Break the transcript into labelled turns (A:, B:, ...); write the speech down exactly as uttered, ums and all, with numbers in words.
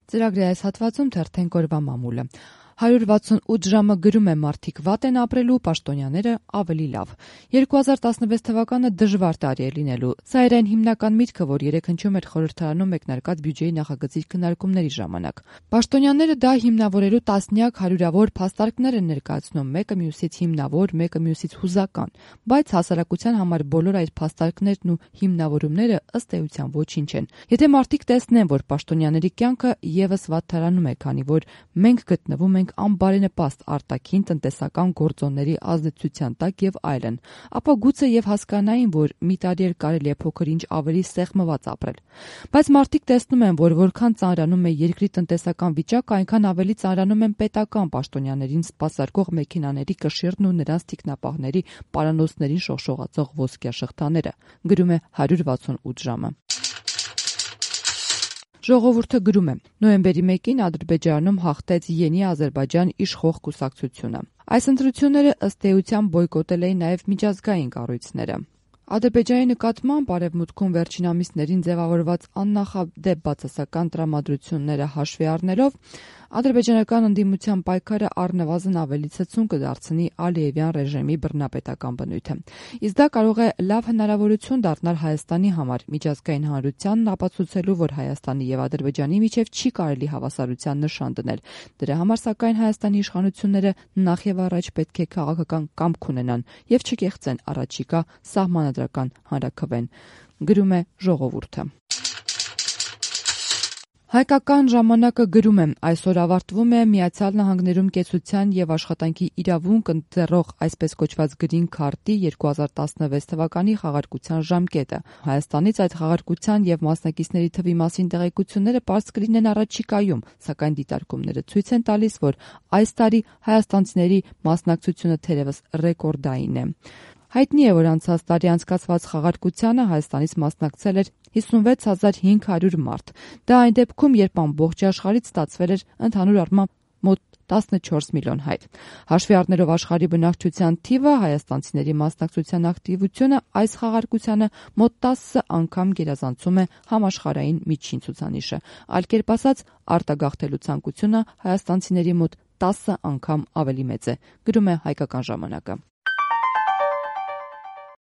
A: Ծրագրի այս հատվածում թերթենք օրվա մամուլը։ հարյուր վաթսունութ ժամը գրում է մարդիկ վատ են ապրելու, պաշտոնյաները ավելի լավ։ երկու հազար տասնվեց թվականը դժվար տարի է լինելու։ Սա էր այն հիմնական միտքը, որ երեկ հնչում էր խորհրդարանում մեկնարկած բյուջեի նախագծի քննարկումների ժամանակ։ Պաշտոնյաները դա հիմնավորելու տասնյակ հարյուրավոր փաստարկներ են ներկայացնում, մեկը մյուսից հիմնավոր, մեկը մյուսից հուզական, բայց հասարակության համար բոլոր այդ փաստարկներն ու հիմնավորումները ըստ էության ոչինչ են։ Եթե մարդիկ տեսնեն, որ պաշտոնյաների կյանքը եւս վատթարանում է, քանի որ մենք գտնվում ենք անբարենպաստ արտաքին տնտեսական գործոնների ազդեցության տակ եւ այլն, ապա գուցե եւ հասկանային, որ մի տարի էլ կարելի է փոքր-ինչ ավելի սեղմված ապրել։ Բայց մարդիկ տեսնում են, որ որքան ծանրանում է երկրի տնտեսական վիճակը, այնքան ավելի ծանրանում են պետական պաշտոնյաներին սպասարկող մեքենաների կշիռն ու նրանց թիկնապահների պարանոցներին շողշողացող ոսկյա շղթաները, գրում է հարյուր վաթսունութ ժամը։ Ժողովուրդը գրում է. նոյեմբերի մեկին Ադրբեջանում հաղթեց Յենի Ադրբեջան իշխող կուսակցությունը։ Այս ընտրությունները ըստ էության բոյկոտել էին նաև միջազգային կառույցները։ Ադրբեջանի նկատմամբ Արևմուտքում վերջին ամիսներին ձևավորված աննախադեպ բացասական տրամադրությունները հաշվի առնելով, ադրբեջանական ընդդիմության պայքարը առնվազն ավելի ցցուն կդարձնի Ալիևյան ռեժիմի բռնապետական բնույթը։ Իսկ դա կարող է լավ հնարավորություն դառնալ Հայաստանի համար, միջազգային հանրությանն ապացուցելու, որ Հայաստանի եւ Ադրբեջանի միջև չի կարելի հավասարության նշան դնել։ Դրա համար, սակայն, Հայաստանի իշխանությունները նախ եւ առաջ պետք է քաղաքական կամք ունենան եւ չկեղծեն առաջիկա սահմանադրական հանրաքվեն, գրում է Ժողովուրդը։ Հայկական ժամանակը գրում է. այսօր ավարտվում է Միացյալ Նահանգներում կեցության եւ աշխատանքի իրավունք ընձեռող այսպես կոչված Green Card-ի երկու հազար տասնվեց թվականի խաղարկության ժամկետը։ Հայաստանից այդ խաղարկության եւ մասնակիցների թվի մասին տեղեկությունները պարզ կլինեն առաջիկայում, սակայն դիտարկումները ցույց են տալիս, որ այս տարի հայաստանցիների մասնակցությունը թերևս ռեկորդային է։ Հայտնի է, որ անցած տարի անցկացված խաղարկությանը Հայաստանից մասնակցել էր հիսունվեց հազար հինգ հարյուր մարդ։ Դա այն դեպքում, երբ ամբողջ աշխարհից ստացվել էր ընդհանուր առմամբ մոտ տասնչորս միլիոն հայ։ Հաշվի առնելով աշխարհի բնակչության թիվը, հայաստանցիների մասնակցության ակտիվությունը այս խաղարկությանը մոտ տասը անգամ գերազանցում է համաշխարհային միջին ցուցանիշը։ Այլ կերպ ասած, արտագաղթելու ցանկությունը հայաստանցիների մոտ տասը անգամ ավելի մեծ է, գրում է Հայկական ժամանակը։